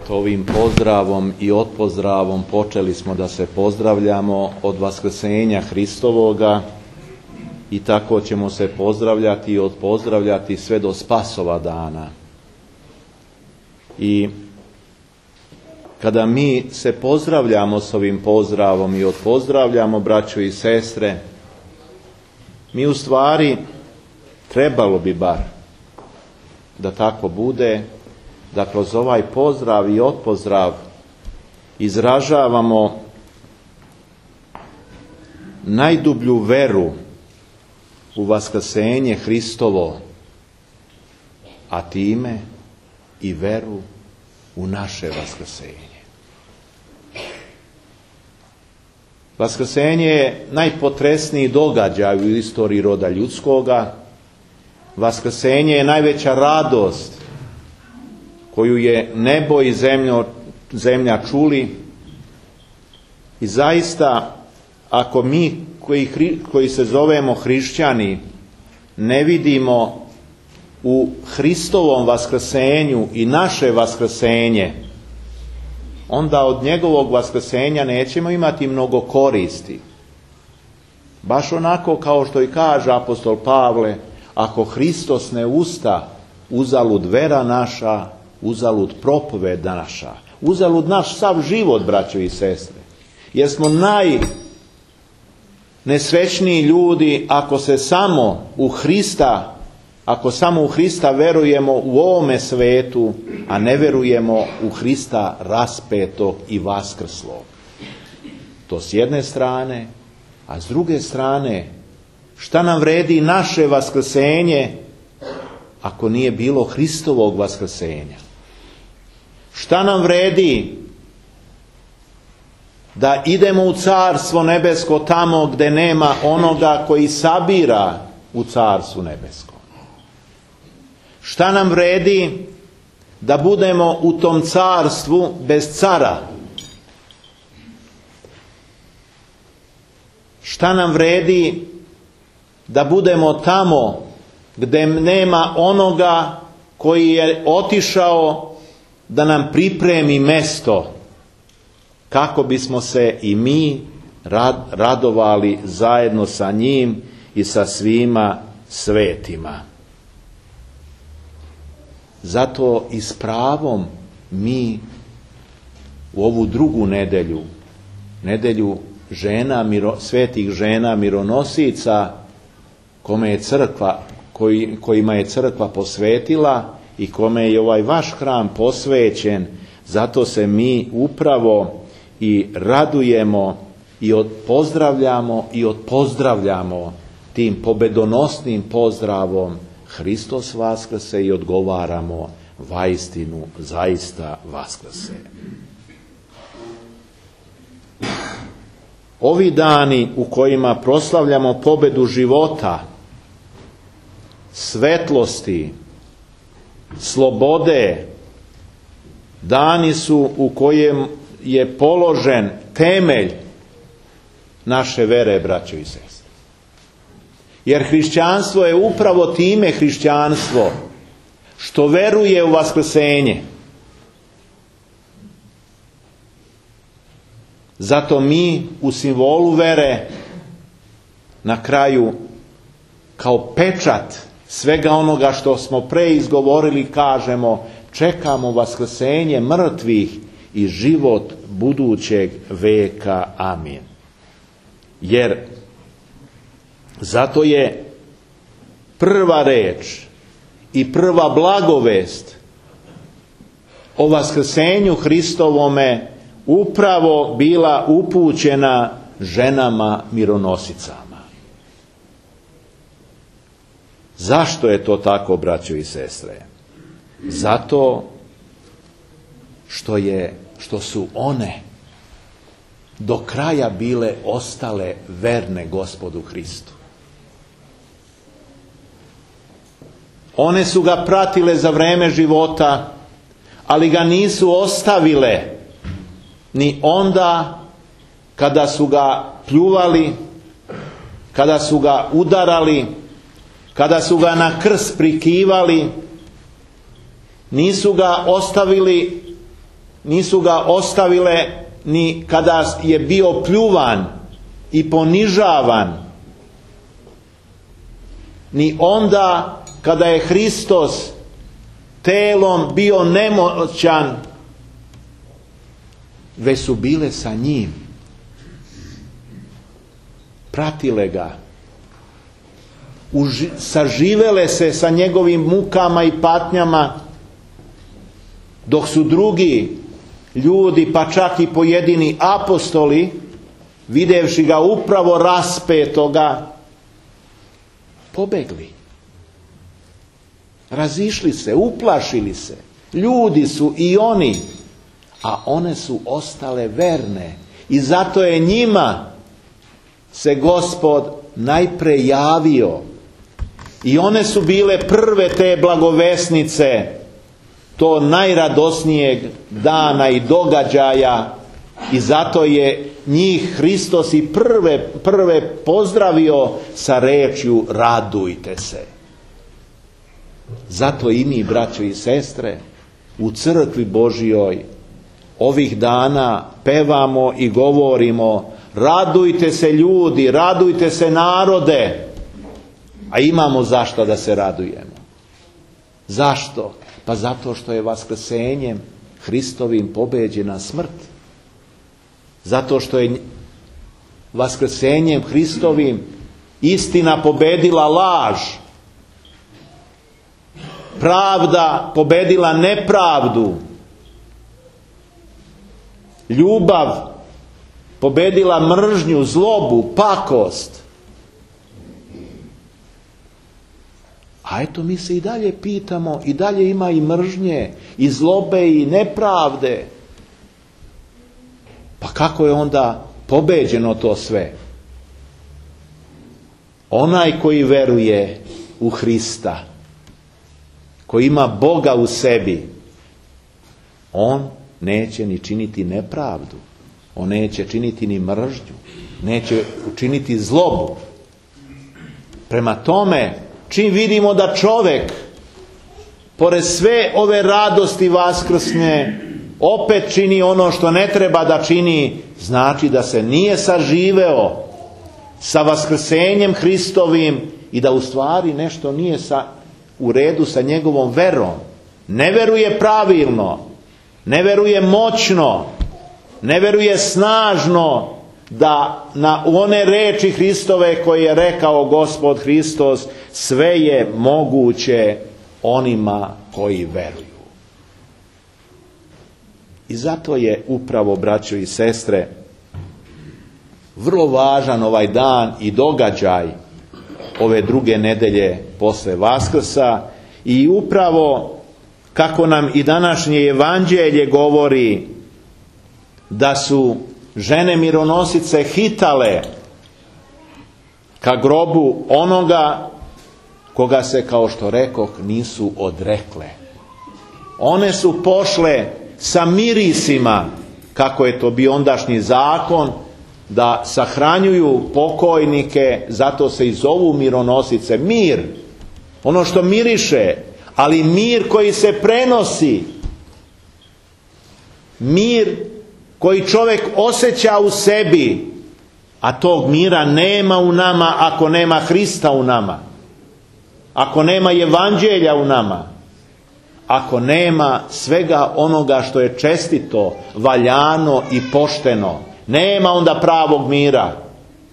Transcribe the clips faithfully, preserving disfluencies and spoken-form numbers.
Eto, ovim pozdravom i odpozdravom počeli smo da se pozdravljamo od Vaskrsenja Hristovoga i tako ćemo se pozdravljati i odpozdravljati sve do Spasova dana. I kada mi se pozdravljamo s ovim pozdravom i odpozdravljamo, braćo i sestre, mi u stvari, trebalo bi bar da tako bude, da kroz ovaj pozdrav i odpozdrav izražavamo najdublju veru u Vaskrsenje Hristovo, a time i veru u naše Vaskrsenje. Vaskrsenje je najpotresniji događaj u istoriji roda ljudskoga. Vaskrsenje je najveća radost koju je nebo i zemljo, zemlja čuli. I zaista, ako mi koji, koji se zovemo hrišćani ne vidimo u Hristovom vaskrsenju i naše vaskrsenje, onda od njegovog vaskrsenja nećemo imati mnogo koristi. Baš onako kao što i kaže apostol Pavle, ako Hristos ne usta, uzalud vera naša, uzalud propoved naša, uzalud naš sav život, braćo i sestre. Jer smo najnesrećniji ljudi ako se samo u Hrista, ako samo u Hrista verujemo u ovome svetu, a ne verujemo u Hrista raspetog i vaskrslog. To s jedne strane, a s druge strane, šta nam vredi naše vaskrsenje ako nije bilo Hristovog vaskrsenja? Šta nam vredi da idemo u Carstvo nebesko tamo gdje nema onoga koji sabira u Carstvu nebeskom? Šta nam vredi da budemo u tom carstvu bez cara? Šta nam vredi da budemo tamo gdje nema onoga koji je otišao da nam pripremi mesto kako bismo se i mi radovali zajedno sa njim i sa svima svetima? Zato i s pravom mi u ovu drugu nedelju, nedelju žena, miro, svetih žena mironosica, kome je crkva, koji, kojima je crkva posvetila i kome je ovaj vaš hram posvećen, zato se mi upravo i radujemo i pozdravljamo i odpozdravljamo tim pobedonosnim pozdravom Hristos vaskrse i odgovaramo vaistinu zaista vaskrse. Ovi dani u kojima proslavljamo pobedu života, svetlosti, slobode, dani su u kojem je položen temelj naše vere, braćo i sestre. Jer hrišćanstvo je upravo time hrišćanstvo što veruje u vaskrsenje. Zato mi u simbolu vere na kraju kao pečat svega onoga što smo pre izgovorili kažemo: čekamo vaskrsenje mrtvih i život budućeg veka. Amin. Jer zato je prva reč i prva blagovest o vaskrsenju Hristovome upravo bila upućena ženama mironosicama. Zašto je to tako, braćo i sestre? Zato što je, što su one do kraja bile ostale verne Gospodu Hristu. One su ga pratile za vreme života, ali ga nisu ostavile ni onda kada su ga pljuvali, kada su ga udarali, kada su ga na krst prikivali. Nisu ga ostavili nisu ga ostavile ni kada je bio pljuvan i ponižavan, ni onda kada je Hristos telom bio nemoćan, već su bile sa njim, pratile ga, Uži, saživele se sa njegovim mukama i patnjama, dok su drugi ljudi, pa čak i pojedini apostoli, videvši ga upravo raspetoga, pobegli. Razišli se, uplašili se. Ljudi su i oni, a one su ostale verne. I zato je njima se Gospod najpre javio. I one su bile prve te blagovesnice to najradosnijeg dana i događaja, i zato je njih Hristos i prve, prve pozdravio sa rečju radujte se. Zato i mi, braćo i sestre, u crkvi Božjoj ovih dana pevamo i govorimo radujte se ljudi, radujte se narode, a imamo zašto da se radujemo. Zašto? Pa zato što je vaskrsenjem Hristovim pobeđena smrt. Zato što je vaskrsenjem Hristovim istina pobedila laž. Pravda pobedila nepravdu. Ljubav pobedila mržnju, zlobu, pakost. A eto, mi se i dalje pitamo, i dalje ima i mržnje, i zlobe, i nepravde. Pa kako je onda pobeđeno to sve? Onaj koji veruje u Hrista, koji ima Boga u sebi, on neće ni činiti nepravdu, on neće činiti ni mržnju, neće učiniti zlobu. Prema tome, čim vidimo da čovjek, pored sve ove radosti vaskrsne, opet čini ono što ne treba da čini, znači da se nije saživeo sa vaskrsenjem Hristovim i da u stvari nešto nije sa, u redu sa njegovom verom. Ne veruje pravilno, ne veruje moćno, ne veruje snažno da na one reči Hristove koje je rekao Gospod Hristos, sve je moguće onima koji veruju. I zato je upravo, braćo i sestre, vrlo važan ovaj dan i događaj ove druge nedelje posle Vaskrsa, i upravo kako nam i današnje evanđelje govori da su žene mironosice hitale ka grobu onoga koga se, kao što rekoh, nisu odrekle. One su pošle sa mirisima, kako je to bio ondašnji zakon, da sahranjuju pokojnike, zato se i zovu mironosice. Mir, ono što miriše, ali mir koji se prenosi, mir koji čovjek osjeća u sebi, a tog mira nema u nama ako nema Hrista u nama, ako nema evanđelja u nama, ako nema svega onoga što je čestito, valjano i pošteno. Nema onda pravog mira.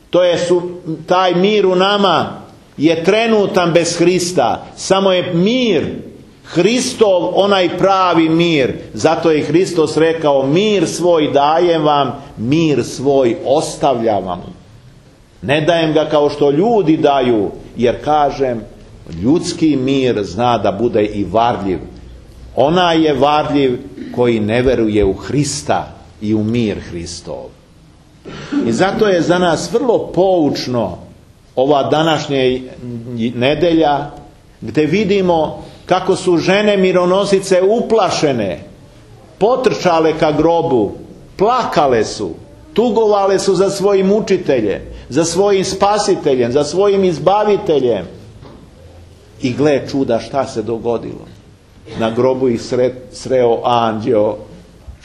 To je su, taj mir u nama je trenutan bez Hrista. Samo je mir Hristov, onaj pravi mir. Zato je Hristos rekao, mir svoj dajem vam, mir svoj ostavljam vam. Ne dajem ga kao što ljudi daju, jer kažem, ljudski mir zna da bude i varljiv. Onaj je varljiv koji ne veruje u Hrista i u mir Hristov. I zato je za nas vrlo poučno ova današnja nedelja, gdje vidimo kako su žene mironosice uplašene, potrčale ka grobu, plakale su, tugovale su za svojim učiteljem, za svojim spasiteljem, za svojim izbaviteljem. I gle čuda šta se dogodilo. Na grobu ih sre, sreo anđeo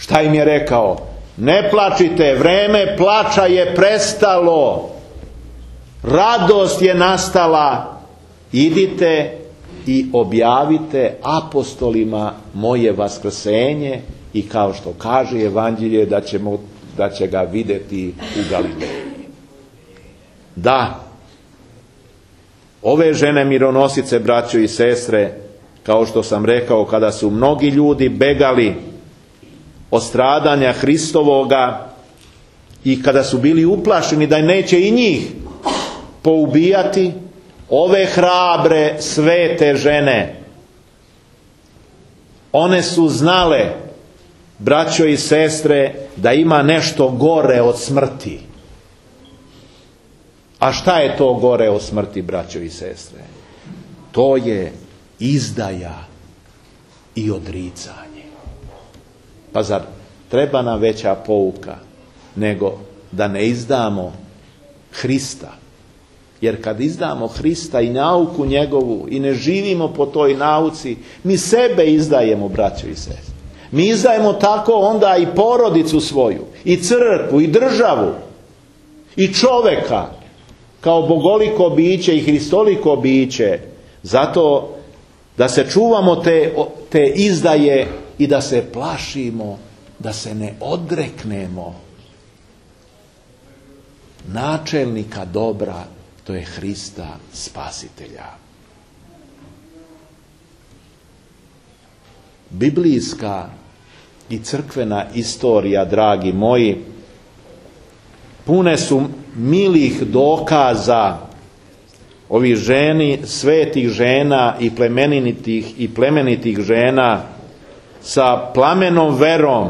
Šta im je rekao? Ne plačite, vreme plača je prestalo. Radost je nastala. Idite i objavite apostolima moje vaskrsenje i kao što kaže Evanđelje da, ćemo, da će ga vidjeti u Galileji. Da, ove žene mironosice, braćo i sestre, kao što sam rekao, kada su mnogi ljudi begali od stradanja Hristovoga i kada su bili uplašeni da neće i njih poubijati, ove hrabre, svete žene, one su znale, braćo i sestre, da ima nešto gore od smrti. A šta je to gore od smrti, braćo i sestre? To je izdaja i odricanje. Pa zar treba nam veća pouka nego da ne izdamo Hrista? Jer kad izdamo Hrista i nauku njegovu i ne živimo po toj nauci, mi sebe izdajemo, braćo i sestre. Mi izdajemo tako onda i porodicu svoju, i crkvu, i državu, i čoveka, kao bogoliko biće i hristoliko biće, zato da se čuvamo te, te izdaje i da se plašimo, da se ne odreknemo načelnika dobra, to je Hrista Spasitelja. Biblijska i crkvena istorija, dragi moji, pune su milih dokaza ovih ženi, svetih žena i plemenitih i plemenitih žena sa plamenom verom,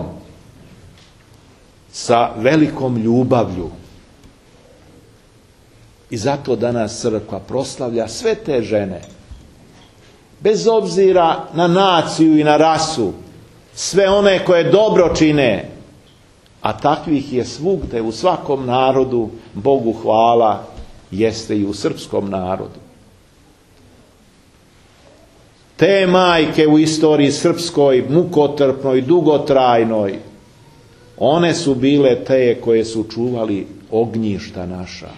sa velikom ljubavlju. I zato danas crkva proslavlja sve te žene, bez obzira na naciju i na rasu, sve one koje dobro čine, a takvih je svugde u svakom narodu, Bogu hvala, jeste i u srpskom narodu. Te majke u istoriji srpskoj, mukotrpnoj, dugotrajnoj, one su bile te koje su čuvali ognjišta naša,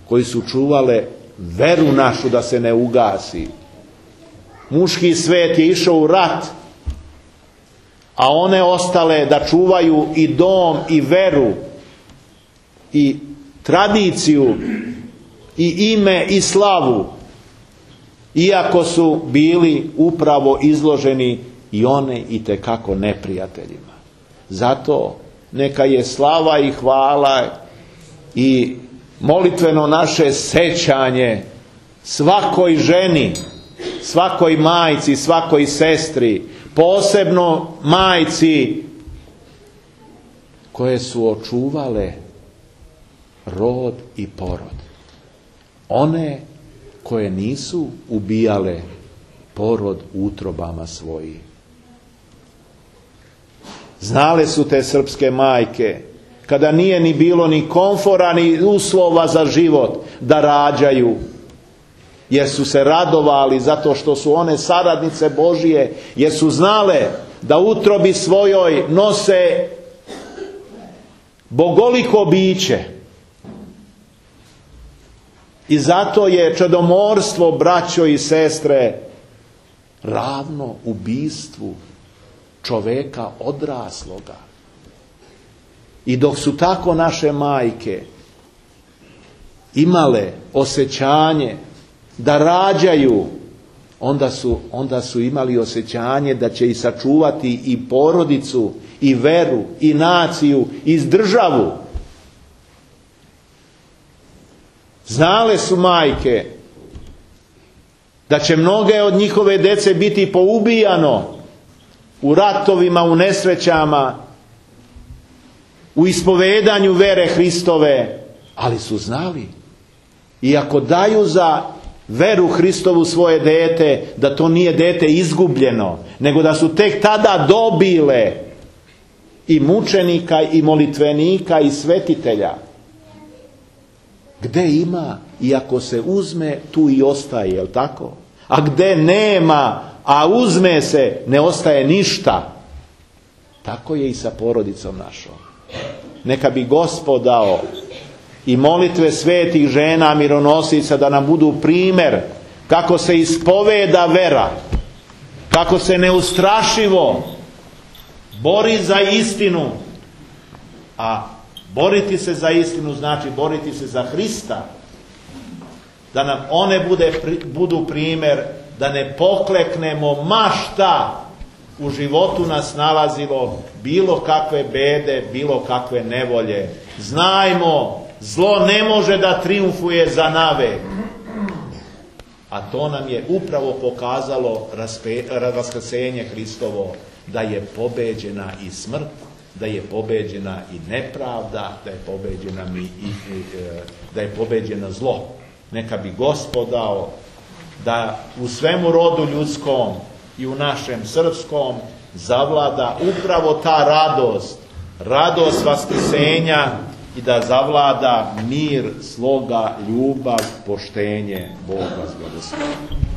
koji su čuvale veru našu da se ne ugasi. Muški svet je išao u rat, a one ostale da čuvaju i dom i veru i tradiciju i ime i slavu, iako su bili upravo izloženi i one itekako neprijateljima. Zato neka je slava i hvala i molitveno naše sećanje svakoj ženi, svakoj majci, svakoj sestri, posebno majci koje su očuvale rod i porod. One koje nisu ubijale porod utrobama svojih. Znale su te srpske majke, kada nije ni bilo ni komfora ni uslova za život, da rađaju, jer su se radovali zato što su one saradnice Božije, jer su znale da utrobi svojoj nose bogoliko biće. I zato je čedomorstvo, braćo i sestre, ravno ubistvu čoveka odrasloga. I dok su tako naše majke imale osjećanje da rađaju, onda su, onda su imali osjećanje da će i sačuvati i porodicu, i veru, i naciju, i državu. Znale su majke da će mnoge od njihove dece biti poubijano u ratovima, u nesrećama, u ispovedanju vere Hristove, ali su znali, i ako daju za veru Hristovu svoje dete, da to nije dete izgubljeno, nego da su tek tada dobile i mučenika, i molitvenika, i svetitelja. Gde ima, i ako se uzme, tu i ostaje, jel tako? A gde nema, a uzme se, ne ostaje ništa. Tako je i sa porodicom našom. Neka bi Gospod dao i molitve svetih žena mironosica da nam budu primjer kako se ispoveda vera, kako se neustrašivo bori za istinu. A boriti se za istinu znači boriti se za Hrista. Da nam one bude, budu primjer, da ne pokleknemo ma šta u životu nas nalazilo, bilo kakve bede, bilo kakve nevolje. Znajmo, zlo ne može da trijumfuje za navek. A to nam je upravo pokazalo vaskrsenje Hristovo, da je pobeđena i smrt, da je pobeđena i nepravda, da je pobeđena i, i, i, da je pobeđeno zlo. Neka bi Gospod dao da u svemu rodu ljudskom i u našem srpskom zavlada upravo ta radost, radost vaskrsenja i da zavlada mir, sloga, ljubav, poštenje. Bog vas blagoslovi.